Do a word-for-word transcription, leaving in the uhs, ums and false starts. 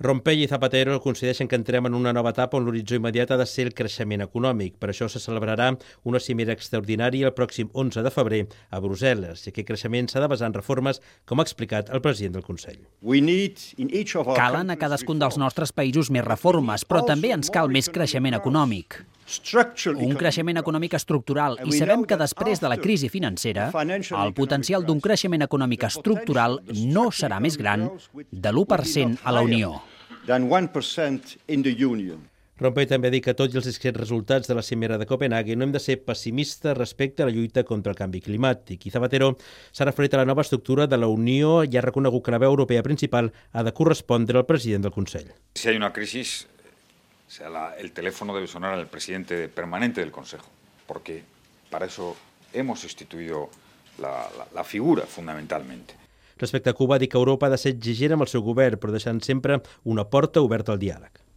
Rompell i Zapatero coincideixen que entrem en una nova etapa on l'horitzó immediat ha de ser el creixement econòmic. Per això se celebrarà una cimera extraordinària el pròxim onze de febrer a Brussel·les, i aquest creixement s'ha de basar en reformes, com ha explicat el president del Consell. Calen a cadascun dels nostres països més reformes, però també ens cal més creixement econòmic. Un creixement econòmic estructural, i sabem que després de la crisi financera, el potencial d'un creixement econòmic estructural no serà més gran de l'u per cent a la Unió. Rompell també ha dit que tot i els discrets resultats de la cimera de Copenhague no hem de ser pessimistes respecte a la lluita contra el canvi climàtic. I Zapatero s'ha referit a la nova estructura de la Unió i ha reconegut que la veu europea principal ha de correspondre al president del Consell. Si hay una crisis, o sea, la, el teléfono debe sonar al presidente permanente del Consejo, porque para eso hemos instituido la, la, la figura fundamentalmente. Respecte a Cuba, ha dit que Europa ha de ser exigent amb el seu govern, però deixant sempre una porta oberta al diàleg.